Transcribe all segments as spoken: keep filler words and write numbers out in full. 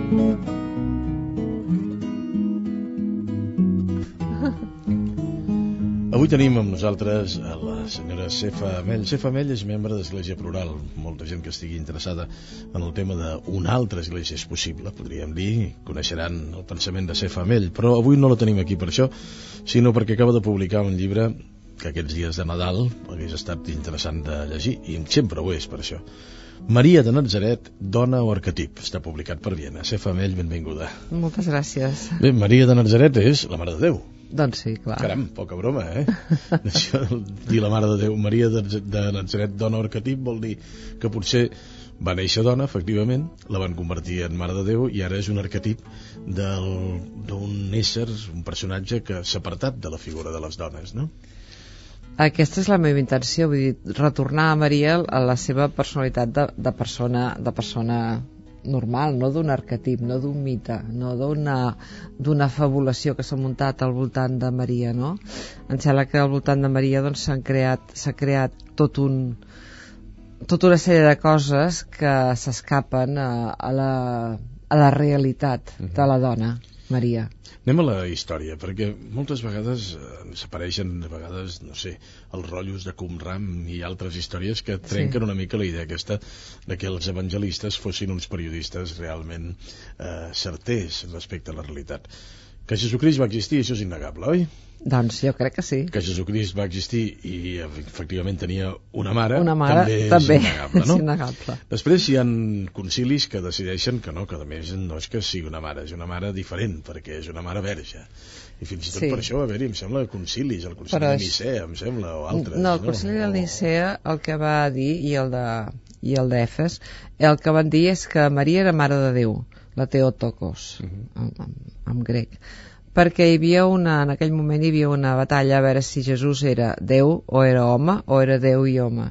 Avui tenim amb nosaltres a la senyora Sefa Amell. Sefa Amell és membre d'Església Plural. Molta gent que estigui interessada en el tema d'una altra església és possible, podríem dir, coneixeran el pensament de Sefa Amell, però avui no la tenim aquí per això, sinó perquè acaba de publicar un llibre que aquests dies de Nadal hagués estat interessant de llegir, i sempre ho és per això. Maria de Natzaret, dona o arquetip. Està publicat per Viena. Sefa Amell, benvinguda. Moltes gràcies. Bé, Maria de Natzaret és la Mare de Déu. Doncs sí, clar. Caram, poca broma, eh? Això, dir la Mare de Déu, Maria de, de Natzaret, dona o arquetip, vol dir que potser va néixer dona, efectivament, la van convertir en Mare de Déu i ara és un arquetip d'un ésser, un personatge que s'ha apartat de la figura de les dones, no? Aquesta és la meva intenció, vull dir, retornar a Maria a la seva personalitat de, de persona de persona normal, no d'un arquetip, no d'un mite, no d'una d'una fabulació que s'ha muntat al voltant de Maria, no? Em sembla que al voltant de Maria doncs s'han creat s'ha creat tot un tota una sèrie de coses que s'escapen a, a la a la realitat de la dona, Maria. Anem a la història, perquè moltes vegades ens apareixen, a vegades, no sé, els rotllos de Qumran i altres històries que trenquen sí. una mica la idea aquesta de que els evangelistes fossin uns periodistes realment eh, certers respecte a la realitat. Que Jesucrist va existir, això és innegable, oi? Doncs jo crec que sí. Que Jesucrist va existir i efectivament tenia una mare, una mare també, també és innegable, no? És innegable. Després hi ha concilis que decideixen que no, que a més no és que sigui una mare, és una mare diferent, perquè és una mare verge. I fins i tot sí. per això va haver-hi, em sembla, concilis, el concili Però de Nicea, em sembla, o altres. No, el concili no? de Nicea el que va dir, i el de i el d'Efes, el que van dir és que Maria era mare de Déu, la Theotokos, uh-huh. en, en, en grec, perquè hi havia una, en aquell moment hi havia una batalla a veure si Jesús era Déu o era home, o era Déu i home.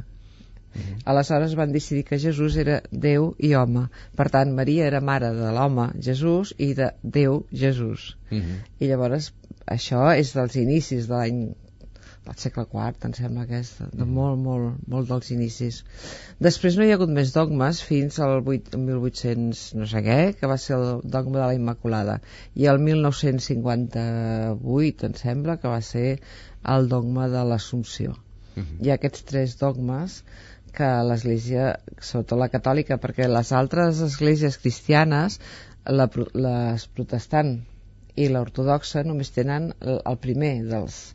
Uh-huh. Aleshores van decidir que Jesús era Déu i home. Per tant, Maria era mare de l'home Jesús i de Déu Jesús. Uh-huh. I llavors això és dels inicis de l'any del segle quart, em sembla que és de molt, molt, molt dels inicis. Després no hi ha hagut més dogmes fins al mil vuit-cents no sé què, que va ser el dogma de la Immaculada, i el mil nou-cents cinquanta-vuit em sembla que va ser el dogma de l'Assumpció. Uh-huh. Hi ha aquests tres dogmes que l'Església, sobretot la catòlica, perquè les altres esglésies cristianes, la, les protestant i l'ortodoxa, només tenen el, el primer dels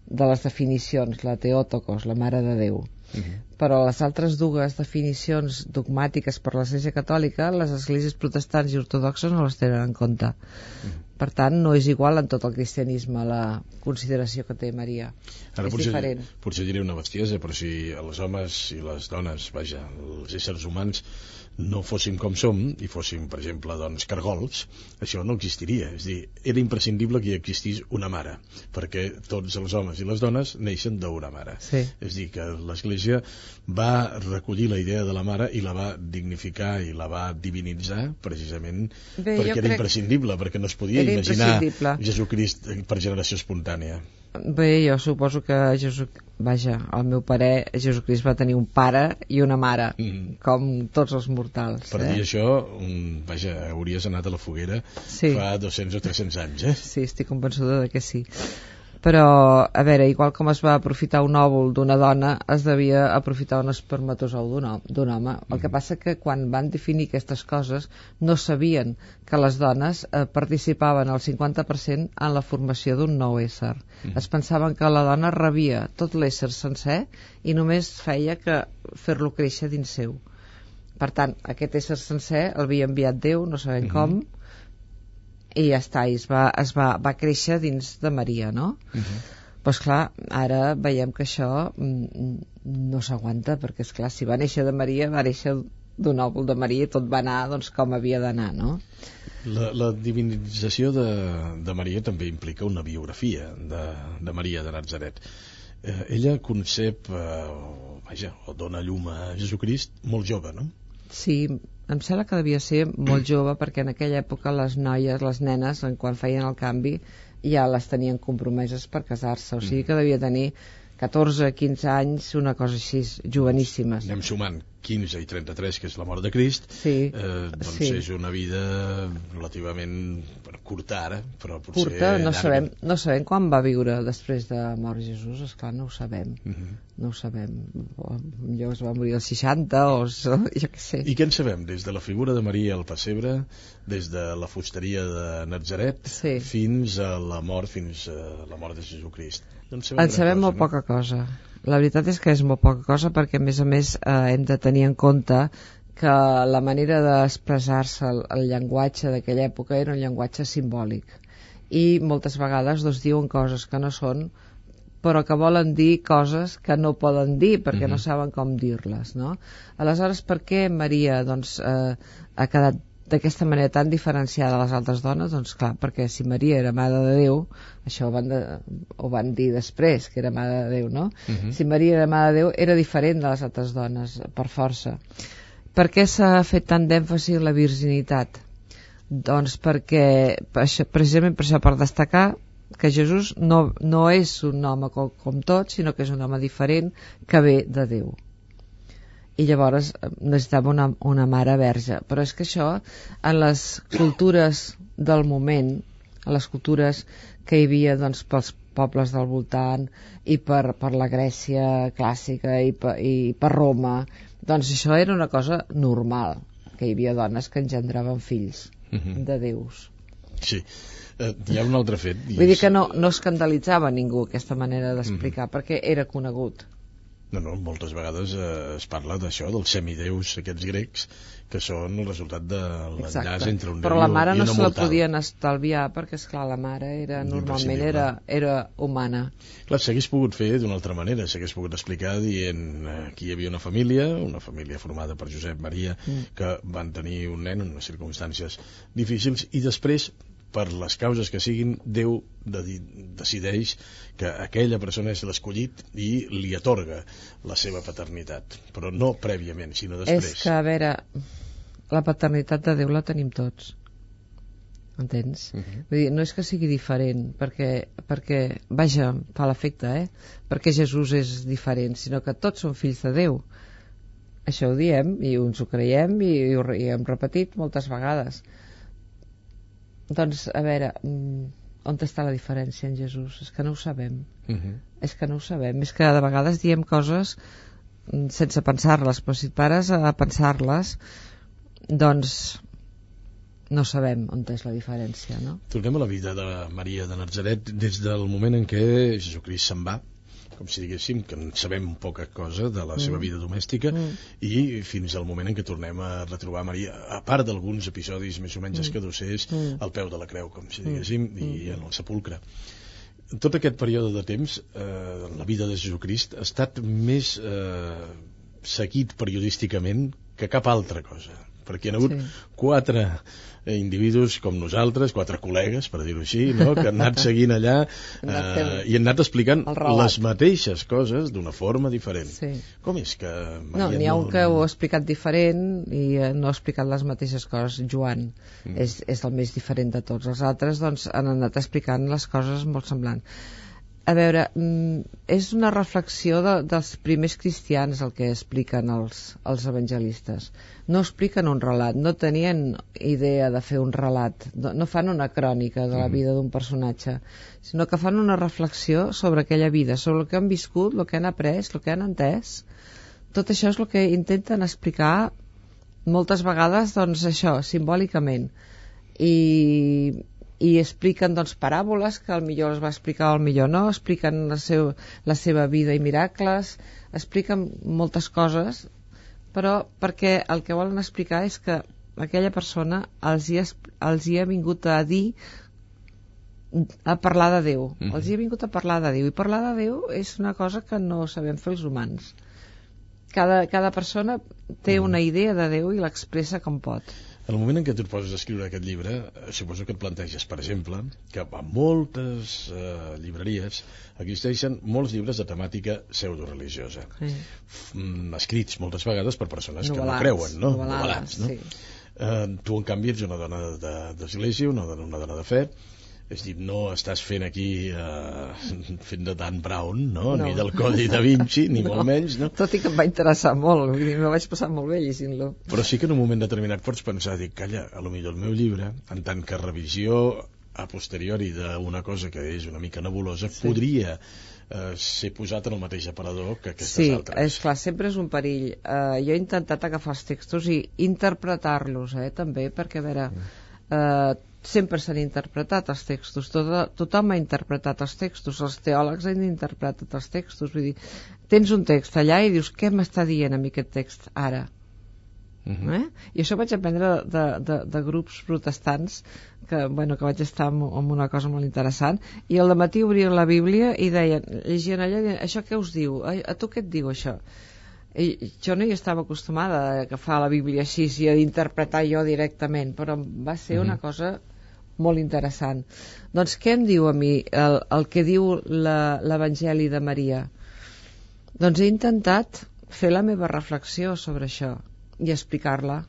de les definicions, la Theotokos, la Mare de Déu. Uh-huh. Però les altres dues definicions dogmàtiques per l'Església Catòlica, les esglésies protestants i ortodoxes no les tenen en compte. Uh-huh. Per tant, no és igual en tot el cristianisme la consideració que té Maria. Ara, és potser, diferent. Potser diré una bestiesa, però si els homes i les dones, vaja, els éssers humans no fóssim com som i fóssim, per exemple, doncs, cargols, això no existiria. És a dir, era imprescindible que hi existís una mare, perquè tots els homes i les dones neixen d'una mare. Sí. És a dir, que l'Església va recollir la idea de la mare i la va dignificar i la va divinitzar precisament Bé, perquè era imprescindible, perquè no es podia imaginar Jesucrist per generació espontània. Bé, jo suposo que Jesús, vaja, al meu parer, Jesucrist va tenir un pare i una mare, mm. com tots els mortals. Per eh? dir això, un, vaja, hauries anat a la foguera sí. fa dos-cents o tres-cents anys, eh? Sí, estic convençuda de que sí. Però, a veure, igual com es va aprofitar un òvul d'una dona, es devia aprofitar un espermatozou d'un home. El que passa que quan van definir aquestes coses no sabien que les dones eh, participaven al cinquanta per cent en la formació d'un nou ésser. Mm. Es pensaven que la dona rebia tot l'ésser sencer i només feia que fer-lo créixer dins seu. Per tant, aquest ésser sencer l'havia enviat Déu, no sabem mm-hmm. com, i ja està, i es va, es va, va créixer dins de Maria, no? Uh-huh. Doncs clar, ara veiem que això mm, no s'aguanta, perquè és clar, si va néixer de Maria, va néixer d'un òvul de Maria i tot va anar doncs, com havia d'anar, no? La, la divinització de, de Maria també implica una biografia de, de Maria de Natzaret. Eh, ella concep, eh, o, vaja, o dona llum a Jesucrist molt jove, no? Sí, em sembla que devia ser molt jove, perquè en aquella època les noies, les nenes, quan feien el canvi ja les tenien compromeses per casar-se, o sigui que devia tenir catorze, quinze anys, una cosa així, joveníssimes. Anem sumant, quinze i trenta-tres, que és la mort de Crist, sí, eh, doncs sí. és una vida relativament curta ara, però potser curta, no llarga. sabem, no sabem quan va viure després de mort Jesús, esclar, no ho sabem. Uh -huh. No ho sabem. Potser es va morir als seixanta o jo què sé. I què en sabem? Des de la figura de Maria al pessebre, des de la fusteria de Natzaret, sí. fins a la mort, fins a la mort de Jesucrist. En sabem, en sabem cosa, molt no? poca cosa. La veritat és que és molt poca cosa perquè, a més a més, eh, hem de tenir en compte que la manera d'expressar-se, el, el llenguatge d'aquella època era un llenguatge simbòlic. I moltes vegades doncs, diuen coses que no són, però que volen dir coses que no poden dir perquè uh-huh. no saben com dir-les, no? Aleshores, per què Maria doncs, eh, ha quedat d'aquesta manera tan diferenciada de les altres dones? Doncs clar, perquè si Maria era Mare de Déu, això ho van, de, ho van dir després, que era Mare de Déu, no? Uh-huh. Si Maria era Mare de Déu, era diferent de les altres dones, per força. Per què s'ha fet tant d'èmfasi en la virginitat? Doncs perquè, per això, precisament per això, per destacar que Jesús no, no és un home com, com tots, sinó que és un home diferent que ve de Déu. I llavors necessitava una, una mare verge. Però és que això, en les cultures del moment, en les cultures que hi havia doncs, pels pobles del voltant i per, per la Grècia clàssica i per, i per Roma, doncs això era una cosa normal, que hi havia dones que engendraven fills uh-huh. de déus. Sí. Uh, hi ha un altre fet. Vull és... dir que no, no escandalitzava ningú aquesta manera d'explicar, uh-huh. perquè era conegut. No, no, moltes vegades eh, es parla d'això, dels semideus aquests grecs, que són el resultat de l'enllaç entre un déu i una mortal. Però la mare no se la podien estalviar, perquè, esclar, la mare era, normalment era, era humana. Clar, s'hagués pogut fer d'una altra manera, s'hagués pogut explicar dient eh, que hi havia una família, una família formada per Josep Maria, mm. que van tenir un nen en unes circumstàncies difícils, i després, per les causes que siguin, Déu de, decideix que aquella persona és l'escollit i li atorga la seva paternitat, però no prèviament, sinó després. És que, a veure, la paternitat de Déu la tenim tots, entens? Uh-huh. Vull dir, no és que sigui diferent, perquè, perquè vaja, fa l'efecte, eh? Perquè Jesús és diferent, sinó que tots són fills de Déu. Això ho diem, i ens ho creiem, i, i ho i hem repetit moltes vegades. Doncs, a veure, on està la diferència en Jesús? És que no ho sabem. Uh-huh. És que no ho sabem. És que de vegades diem coses sense pensar-les, però si et pares a pensar-les, doncs no sabem on és la diferència, no? Tornem a la vida de Maria de Natzaret des del moment en què Jesucrist se'n va, com si diguéssim que en sabem poca cosa de la mm. seva vida domèstica, mm. i fins al moment en què tornem a retrobar Maria, a part d'alguns episodis més o menys mm. escadossers, mm. al peu de la creu, com si diguéssim, mm. i en el sepulcre. Tot aquest període de temps, eh, la vida de Jesucrist ha estat més eh, seguit periodísticament que cap altra cosa, perquè hi ha hagut sí. quatre eh, individus com nosaltres, quatre col·legues, per dir-ho així, no? que han anat seguint allà eh, i han anat explicant les mateixes coses d'una forma diferent. Sí. Com és que... Maria No, n'hi ha un no... que ho ha explicat diferent i eh, no ha explicat les mateixes coses. Joan mm. és, és el més diferent de tots. Els altres doncs, han anat explicant les coses molt semblants. A veure, és una reflexió de, dels primers cristians el que expliquen els, els evangelistes. No expliquen un relat, no tenien idea de fer un relat, no, no fan una crònica de la vida d'un personatge, sinó que fan una reflexió sobre aquella vida, sobre el que han viscut, el que han après, el que han entès. Tot això és el que intenten explicar moltes vegades, doncs això, simbòlicament. I... i expliquen doncs paràboles que al millor les va explicar, al millor no, expliquen la, seu, la seva vida i miracles, expliquen moltes coses, però perquè el que volen explicar és que aquella persona els hi, els hi ha vingut a dir, a parlar de Déu, mm-hmm. els hi ha vingut a parlar de Déu, i parlar de Déu és una cosa que no sabem fer els humans. Cada, cada persona té una idea de Déu i l'expressa com pot. En el moment en què tu et poses a escriure aquest llibre, suposo que et planteges, per exemple, que a moltes eh, llibreries existeixen molts llibres de temàtica pseudoreligiosa, sí. F- escrits moltes vegades per persones novel·lats, que no creuen, no? Novel·lats, no? Sí. Eh, tu, en canvi, ets una dona de, d'església, una dona, una dona de fe, És dir, no estàs fent aquí eh, fent de Dan Brown, no? No. Ni del Codi da Vinci, ni no. molt menys, no? Tot i que em va interessar molt, vull dir, me vaig passar molt bé llegint-lo. Però sí que en un moment determinat pots pensar, dic, calla, a lo millor el meu llibre, en tant que revisió a posteriori d'una cosa que és una mica nebulosa, sí. podria eh, ser posat en el mateix aparador que aquestes sí, altres. Sí, és clar, sempre és un perill. Uh, jo he intentat agafar els textos i interpretar-los, eh, també, perquè, a veure, uh, sempre s'han interpretat els textos, Tot, tothom ha interpretat els textos, els teòlegs han interpretat els textos, vull dir, tens un text allà i dius, què m'està dient a mi aquest text ara? Uh-huh. Eh? I això vaig aprendre de, de, de grups protestants que, bueno, que vaig estar en, en una cosa molt interessant, i al matí obrien la Bíblia i deien, llegien allò i deien, això què us diu? A, a tu què et diu això? I jo no hi estava acostumada a agafar la Bíblia així i a interpretar jo directament, però va ser uh-huh. una cosa molt interessant. Doncs què em diu a mi el, el que diu l'Evangeli de Maria? Doncs he intentat fer la meva reflexió sobre això i explicar-la.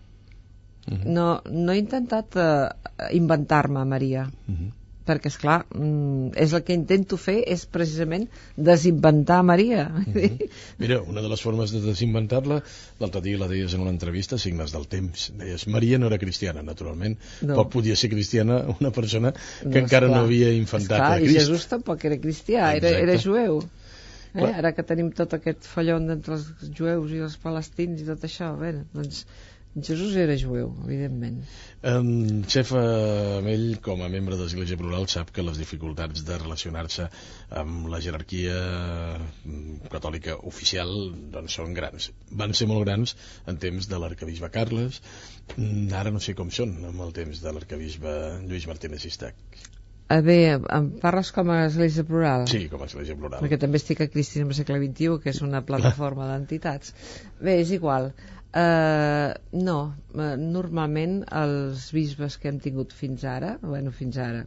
Uh-huh. No, no he intentat uh, inventar-me Maria, uh-huh. perquè, esclar, mm, és el que intento fer és precisament desinventar Maria. Uh-huh. Mira, una de les formes de desinventar-la, l'altre dia la deies en una entrevista, Signes del temps. Deies, Maria no era cristiana, naturalment. No. Poc podia ser cristiana una persona que no, encara esclar, no havia infantat esclar, a Crist. I Jesús tampoc era cristià, era, era jueu. Eh? Ara que tenim tot aquest fallon entre els jueus i els palestins i tot això, bé, doncs Jesús era jueu, evidentment. Um, Chef Amell, com a membre de l'Església Plural, sap que les dificultats de relacionar-se amb la jerarquia catòlica oficial doncs són grans. Van ser molt grans en temps de l'arcabisbe Carles, ara no sé com són amb el temps de l'arcabisbe Lluís Martínez Sistac. A bé, em parles com a Església Plural? Sí, com a Església Plural. Perquè també estic a Cristianisme segle vint-i-u, que és una plataforma d'entitats. Bé, és igual. Uh, no, uh, normalment els bisbes que hem tingut fins ara, bueno, fins ara,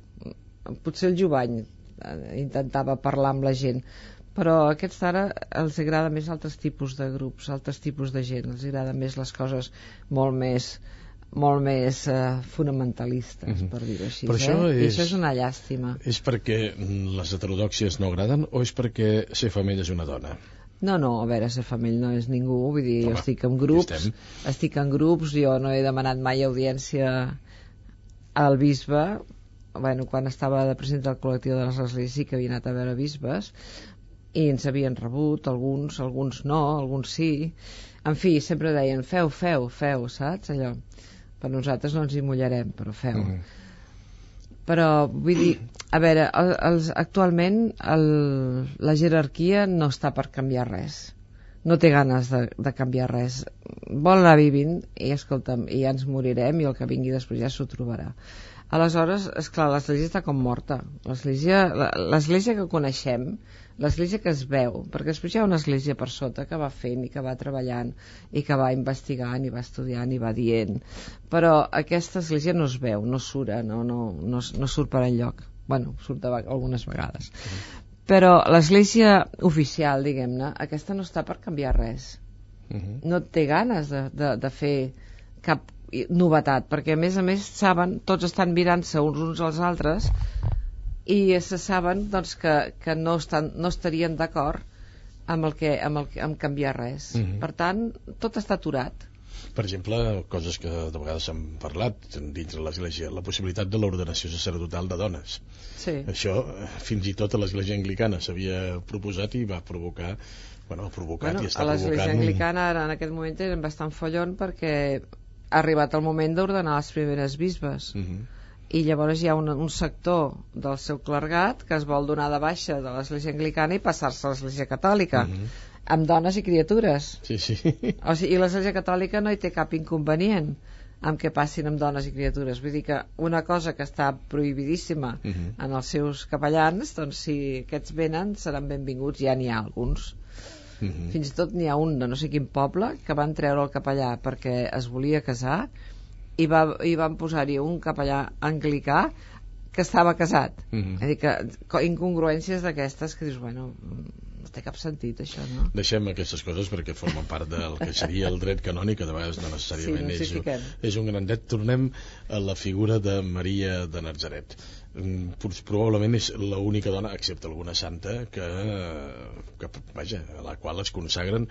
potser el Jovany uh, intentava parlar amb la gent, però a aquests ara els agrada més altres tipus de grups, altres tipus de gent, els agrada més les coses molt més... molt més uh, fonamentalistes, per dir-ho així. Però eh? això és, I això és una llàstima. És perquè les heterodòxies no agraden o és perquè ser femella és una dona? No, no, a veure, ser femella no és ningú, vull dir, Home, jo estic en grups, estic en grups, jo no he demanat mai audiència al bisbe, bueno, quan estava de president del col·lectiu de les esglésies sí que havia anat a veure bisbes, i ens havien rebut, alguns, alguns no, alguns sí, en fi, sempre deien, feu, feu, feu, saps, allò? Per nosaltres no ens hi mullarem, però feu. Mm. Però, vull dir, a veure, el, els, actualment el, la jerarquia no està per canviar res. No té ganes de, de canviar res. Vol anar vivint i, escolta'm, i ja ens morirem i el que vingui després ja s'ho trobarà. Aleshores, esclar, l'església està com morta. L'església, l'església que coneixem, l'església que es veu, perquè després hi ha una església per sota que va fent i que va treballant i que va investigant i va estudiant i va dient, però aquesta església no es veu, no surt, no, no, no, no surt per enlloc. Bueno, surt de, algunes vegades. Mm. Però l'església oficial, diguem-ne, aquesta no està per canviar res. Mm-hmm. No té ganes de, de, de fer cap novetat, perquè a més a més saben, tots estan mirant-se uns uns als altres i se saben doncs, que, que no, estan, no estarien d'acord amb, el que, amb, el, amb canviar res. Mm-hmm. Per tant, tot està aturat. Per exemple, coses que de vegades s'han parlat dins de l'Església, la possibilitat de l'ordenació sacerdotal de dones. Sí. Això fins i tot a l'Església Anglicana s'havia proposat i va provocar, bueno, ha provocat bueno, i està provocant... A l'Església provocant... Anglicana ara en aquest moment tenen bastant follon perquè ha arribat el moment d'ordenar les primeres bisbes. Mm-hmm. I llavors hi ha un, un sector del seu clergat que es vol donar de baixa de l'Església Anglicana i passar-se a l'Església Catòlica. Mm-hmm. Amb dones i criatures. Sí, sí. O sigui, i l'Església Catòlica no hi té cap inconvenient amb que passin amb dones i criatures. Vull dir que una cosa que està prohibidíssima uh-huh. en els seus capellans, doncs si aquests venen seran benvinguts, ja n'hi ha alguns. Uh-huh. Fins i tot n'hi ha un de no sé quin poble que van treure el capellà perquè es volia casar i, va, i van posar-hi un capellà anglicà que estava casat. Uh-huh. És a dir que incongruències d'aquestes que dius, bueno, té cap sentit, això, no? Deixem aquestes coses perquè formen part del que seria el dret canònic, que de vegades no necessàriament sí, no és, un, és un gran dret. Tornem a la figura de Maria de Natzaret. Probablement és l'única dona, excepte alguna santa, que, que vaja, a la qual es consagren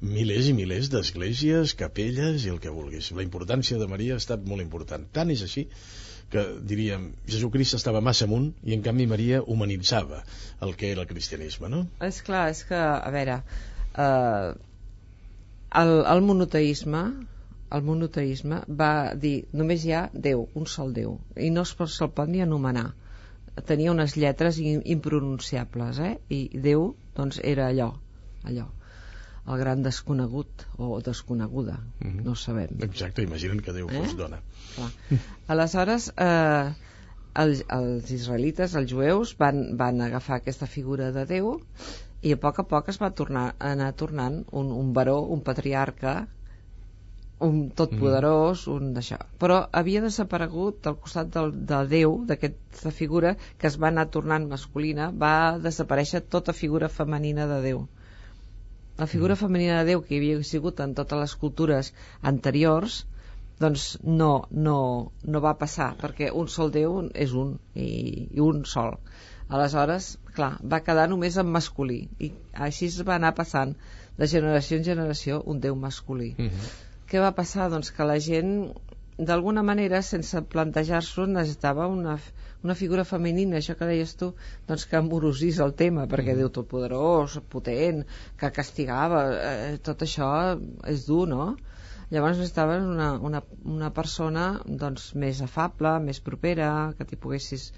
milers i milers d'esglésies, capelles i el que vulguis. La importància de Maria ha estat molt important. Tant és així que, diríem, Jesucrist estava massa amunt i en canvi Maria humanitzava el que era el cristianisme, no? És clar, és que, a veure, eh, el, el monoteisme el monoteisme va dir només hi ha Déu, un sol Déu, i no se'l pot ni anomenar. Tenia unes lletres impronunciables, eh? I Déu, doncs, era allò, allò. El gran desconegut o desconeguda, mm-hmm. no ho sabem. Exacte, imaginen que Déu eh? fos dona. Clar. Aleshores, eh, els, els israelites, els jueus, van, van agafar aquesta figura de Déu i a poc a poc es va tornar, anar tornant un, un baró, un patriarca, un totpoderós, mm. un d'això. Però havia desaparegut al costat del, de Déu, d'aquesta figura que es va anar tornant masculina, va desaparèixer tota figura femenina de Déu. La figura femenina de Déu que hi havia sigut en totes les cultures anteriors, doncs no, no, no va passar, perquè un sol Déu és un, i, i un sol. Aleshores, clar, va quedar només en masculí, i així es va anar passant de generació en generació un Déu masculí. Uh-huh. Què va passar? Doncs que la gent, d'alguna manera, sense plantejar-s'ho, necessitava una, una figura femenina, això que deies tu, doncs que amorosís el tema, perquè mm. Déu totpoderós, potent, que castigava, eh, tot això és dur, no? Llavors necessitaven una, una, una persona doncs, més afable, més propera, que t'hi poguessis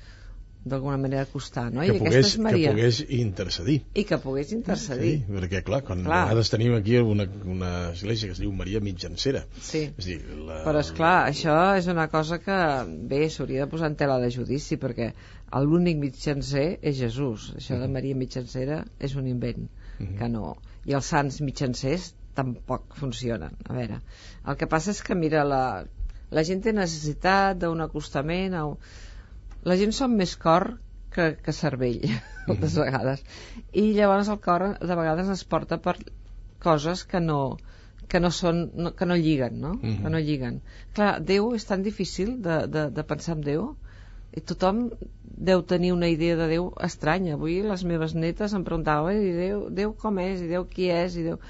d'alguna manera acostar, no? Que, I pogués, Maria... que pogués intercedir. I que pogués intercedir. Sí, perquè clar, quan clar. a vegades tenim aquí una, una església que es diu Maria Mitjancera. Sí, és dir, la... però esclar, això és una cosa que, bé, s'hauria de posar en tela de judici, perquè l'únic mitjancer és Jesús. Això de Maria Mitjancera és un invent, uh-huh. que no... I els sants mitjancers tampoc funcionen. A veure, el que passa és que, mira, la, la gent té necessitat d'un acostament a... La gent som més cor que, que cervell, moltes mm. vegades. I llavors el cor de vegades es porta per coses que no, que no, són, no, que no lliguen, no? Mm. Que no lliguen. Clar, Déu és tan difícil de, de, de pensar en Déu, i tothom deu tenir una idea de Déu estranya. Avui les meves netes em preguntaven, i Déu, Déu com és, i Déu qui és, i Déu...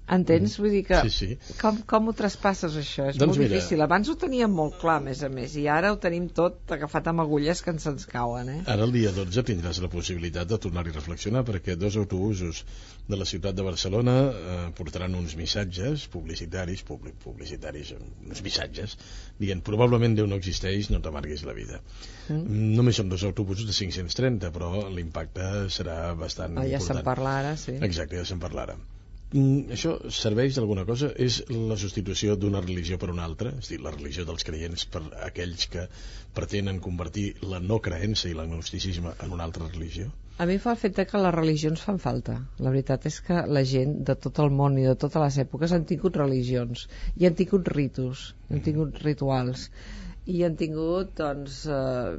Entens? Vull dir que sí, sí. Com, com ho traspasses això? És doncs molt mira, difícil. Abans ho teníem molt clar, a més a més, i ara ho tenim tot agafat amb agulles que ens ens cauen, eh? Ara el dia dotze tindràs la possibilitat de tornar-hi a reflexionar, perquè dos autobusos de la ciutat de Barcelona eh, portaran uns missatges publicitaris, public, publicitaris, uns missatges, dient probablement Déu no existeix, no t'amarguis la vida. Mm. Només són dos autobusos de cinc-cents trenta, però l'impacte serà bastant oh, ja important. se'n parla ara, sí. Exacte, ja se'n parla ara. Mm, això serveix d'alguna cosa? És la substitució d'una religió per una altra? És a dir, la religió dels creients per aquells que pretenen convertir la no creença i l'agnosticisme en una altra religió? A mi fa el fet que les religions fan falta. La veritat és que la gent de tot el món i de totes les èpoques han tingut religions i han tingut ritus, han tingut rituals i han tingut, doncs, eh,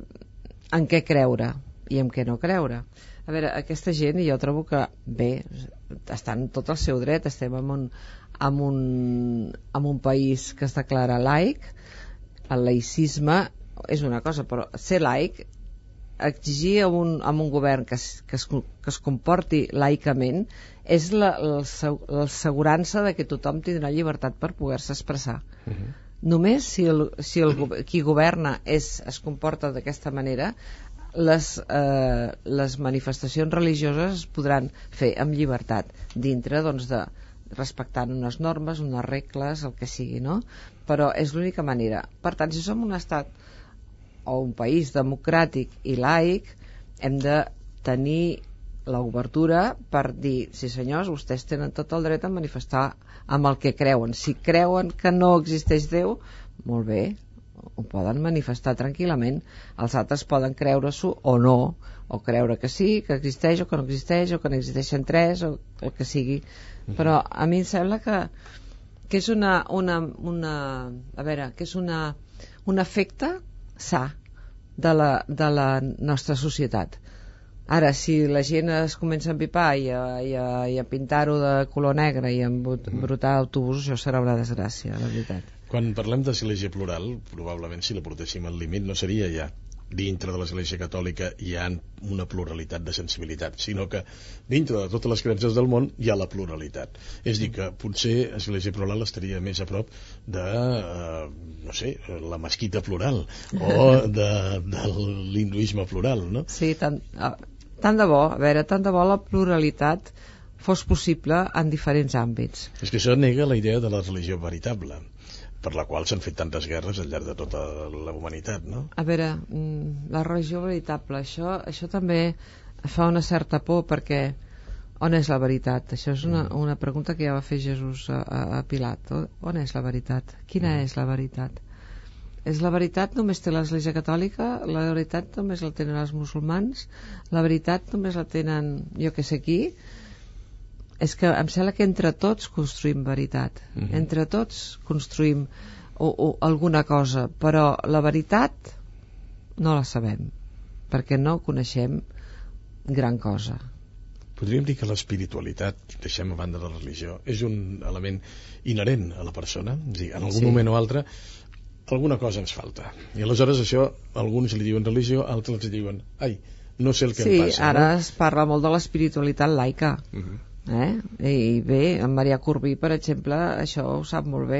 en què creure i en què no creure. A veure, aquesta gent, jo trobo que, bé, estan tot el seu dret, estem en un, en un, en un país que es declara laic, el laïcisme és una cosa, però ser laic, exigir a un, a un govern que es, que, es, que es comporti laicament, és l'assegurança de que tothom tindrà llibertat per poder-se expressar. Uh-huh. Només si, el, si el, qui governa és, es comporta d'aquesta manera, les, eh, les manifestacions religioses es podran fer amb llibertat dintre, doncs, de respectant unes normes, unes regles, el que sigui, no? Però és l'única manera. Per tant, si som un estat o un país democràtic i laic, hem de tenir l'obertura per dir, sí senyors, vostès tenen tot el dret a manifestar amb el que creuen. Si creuen que no existeix Déu, molt bé, ho poden manifestar tranquil·lament. Els altres poden creure-s'ho o no, o creure que sí, que existeix o que no existeix, o que n'existeixen tres, o el que sigui. Però a mi em sembla que, que és una, una, una a veure, que és una, un efecte sa de la, de la nostra societat. Ara, si la gent es comença a empipar i a, i a, i a pintar-ho de color negre i a embrutar autobusos, això serà una desgràcia, la veritat. Quan parlem d'església plural, probablement si la portéssim al límit no seria ja dintre de l'església catòlica hi ha una pluralitat de sensibilitat, sinó que dintre de totes les creences del món hi ha la pluralitat. És dir, que potser església plural estaria més a prop de, eh, no sé, la mesquita plural o de, de l'hinduisme plural, no? Sí, tant, tant de bo, a veure, tant de bo la pluralitat fos possible en diferents àmbits. És que això nega la idea de la religió veritable, per la qual s'han fet tantes guerres al llarg de tota la humanitat, no? A veure, la religió veritable, això, això també fa una certa por, perquè on és la veritat? Això és una, una pregunta que ja va fer Jesús a, a Pilat. On és la veritat? Quina és la veritat? És la veritat només té l'Església Catòlica? La veritat només la tenen els musulmans? La veritat només la tenen jo que sé qui? És que em sembla que entre tots construïm veritat, uh-huh. entre tots construïm o, o alguna cosa, però la veritat no la sabem, perquè no coneixem gran cosa. Podríem dir que l'espiritualitat, deixem a banda la religió, és un element inherent a la persona, és dir, en algun sí. moment o altre alguna cosa ens falta, i aleshores això alguns li diuen religió, altres li diuen ai, no sé el que sí, em passa. Sí, ara no? es parla molt de l'espiritualitat laica, uh-huh. Eh? I bé, en Marià Corbí per exemple això ho sap molt bé,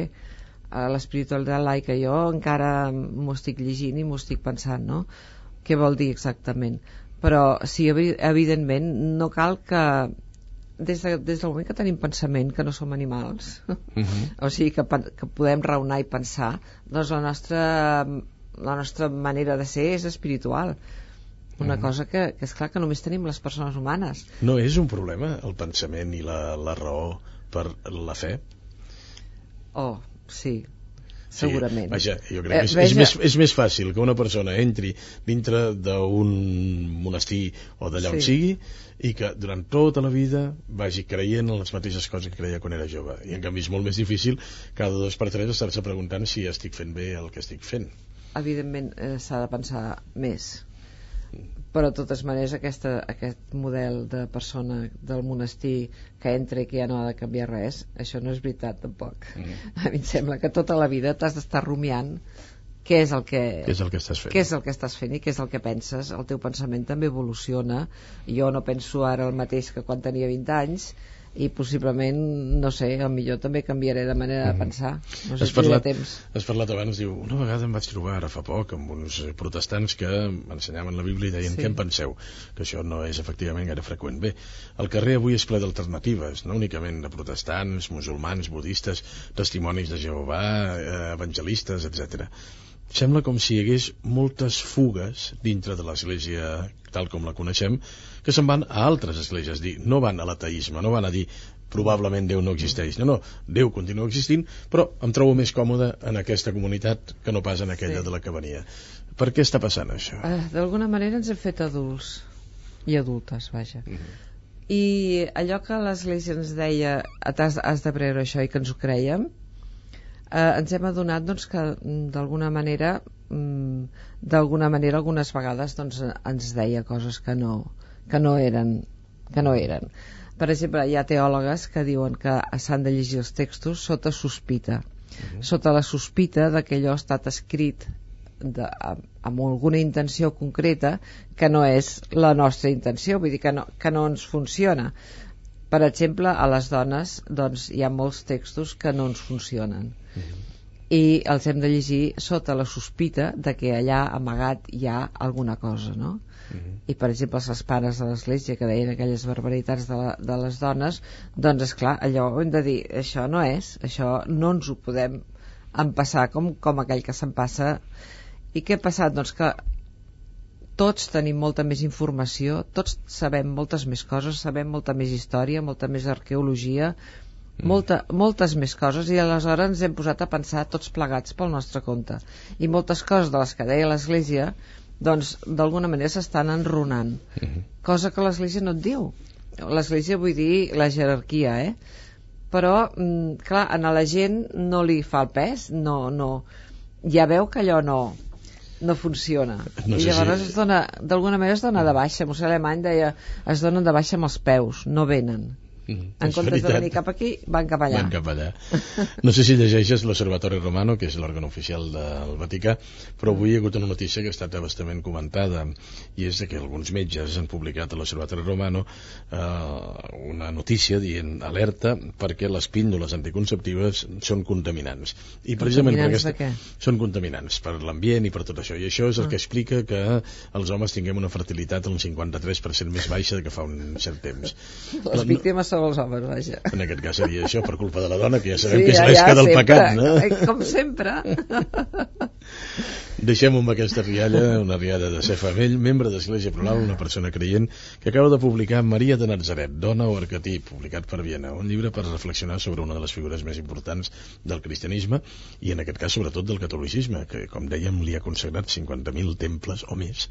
l'espiritualitat laica. Jo encara m'ho estic llegint i m'ho estic pensant, no? Què vol dir exactament, però sí, evidentment no cal que des, de, des del moment que tenim pensament, que no som animals, uh-huh. o sigui que, que podem raonar i pensar, doncs la nostra la nostra manera de ser és espiritual. Una uh-huh. cosa que, que és clar que només tenim les persones humanes. No és un problema el pensament i la, la raó per la fe? Oh, sí, segurament. Sí, vaja, jo crec que és, és, més, és més fàcil que una persona entri dintre d'un monestir o d'allà on sí. sigui i que durant tota la vida vagi creient en les mateixes coses que creia quan era jove. I en canvi és molt més difícil cada dos per tres estar-se preguntant si estic fent bé el que estic fent. Evidentment eh, s'ha de pensar més, però de totes maneres aquesta, aquest model de persona del monestir que entra i que ja no ha de canviar res, això no és veritat tampoc. Mm. A mi em sembla que tota la vida t'has d'estar rumiant què és el que, què és el que estàs fent, què és el que estàs fent i què és el que penses. El teu pensament també evoluciona. Jo no penso ara el mateix que quan tenia vint anys i possiblement, no sé, millor també canviaré de manera de pensar. No sé has, si parlat, temps. has parlat abans, diu, una vegada em vaig trobar ara fa poc amb uns protestants que m'ensenyaven la Bíblia i deien, sí. Què en penseu? Que això no és efectivament gaire freqüent. Bé, el carrer avui és ple d'alternatives, no únicament de protestants, musulmans, budistes, testimonis de Jehovà, evangelistes, etcètera. Sembla com si hi hagués moltes fugues dintre de l'església tal com la coneixem, que se'n van a altres esglésies, dir, no van a l'ateisme, no van a dir probablement Déu no existeix, no, no, Déu continua existint, però em trobo més còmode en aquesta comunitat que no pas en aquella sí. de la que venia. Per què està passant això? Uh, D'alguna manera ens hem fet adults i adultes, vaja. Uh-huh. I allò que l'església ens deia, has, has de creure això, i que ens ho creiem, uh, ens hem adonat doncs, que d'alguna manera d'alguna manera algunes vegades doncs, ens deia coses que no, que no eren que no eren. Per exemple, hi ha teòlogues que diuen que s'han de llegir els textos sota sospita, uh-huh. sota la sospita de que allò ha estat escrit de, amb alguna intenció concreta que no és la nostra intenció, vull dir que no, que no ens funciona. Per exemple, a les dones doncs, hi ha molts textos que no ens funcionen. Uh-huh. I els hem de llegir sota la sospita de que allà amagat hi ha alguna cosa, no? Uh-huh. I per exemple els pares de l'església que deien aquelles barbaritats de, la, de les dones, doncs esclar, allò ho hem de dir, això no és, això no ens ho podem empassar com, com aquell que se'n passa. I què ha passat? Doncs que tots tenim molta més informació, tots sabem moltes més coses, sabem molta més història, molta més arqueologia, Molta, moltes més coses, i aleshores ens hem posat a pensar tots plegats pel nostre compte, i moltes coses de les que deia l'Església doncs d'alguna manera s'estan enrunant, uh-huh. cosa que l'Església no et diu. L'Església vull dir la jerarquia, eh? Però clar, a la gent no li fa el pes, no, no, ja veu que allò no, no funciona. No I sé llavors si... es dona, d'alguna manera es dona de baixa. Mossèn Alemany deia, es donen de baixa amb els peus, no venen. Mm, en comptes de venir cap aquí, van cap allà. Van cap allà. No sé si llegeixes l'Osservatori Romano, que és l'òrgan oficial del Vaticà, però avui hi ha hagut una notícia que ha estat bastament comentada, i és que alguns metges han publicat a l'Osservatori Romano eh, una notícia dient alerta perquè les píndoles anticonceptives són contaminants. I precisament contaminants per aquesta... de què? Són contaminants per l'ambient i per tot això. I això és el ah. que explica que els homes tinguem una fertilitat un cinquanta-tres per cent més baixa que fa un cert temps. Les la... víctimes són els homes, vaja. En aquest cas seria això, per culpa de la dona, que ja sabem sí, que és ja, l'esca ja, del sempre, pecat, no? Com sempre. Deixem amb aquesta rialla, una rialla de Cefa Mell, membre d'Església Plural, una persona creient, que acaba de publicar Maria de Natzaret, dona o arquetip, publicat per Viena, un llibre per reflexionar sobre una de les figures més importants del cristianisme, i en aquest cas sobretot del catolicisme, que com dèiem li ha consagrat cinquanta mil temples o més,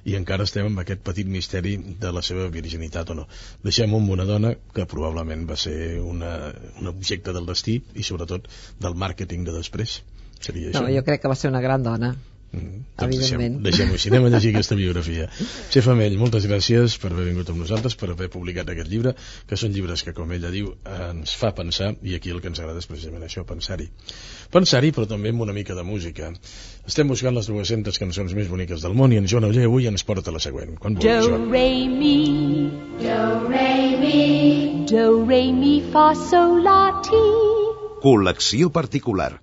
i encara estem amb aquest petit misteri de la seva virginitat o no. Deixem amb una dona que probablement va ser una, un objecte del destí i sobretot del màrqueting de després. Seria no, això. Jo crec que va ser una gran dona. Mm, doncs evidentment. Deixem-ho així, anem a llegir aquesta biografia. Cefa Mell, moltes gràcies per haver vingut amb nosaltres, per haver publicat aquest llibre, que són llibres que, com ella diu, ens fa pensar, i aquí el que ens agrada és precisament això, pensar-hi. Pensar-hi, però també amb una mica de música. Estem buscant les dues-centes cançons més boniques del món i en Joan Oller avui ens porta la següent. Quan vulguis, Joan. Do, re, mi, do, re, mi, do, re, mi, fa, sol, la, ti. Col·lecció particular.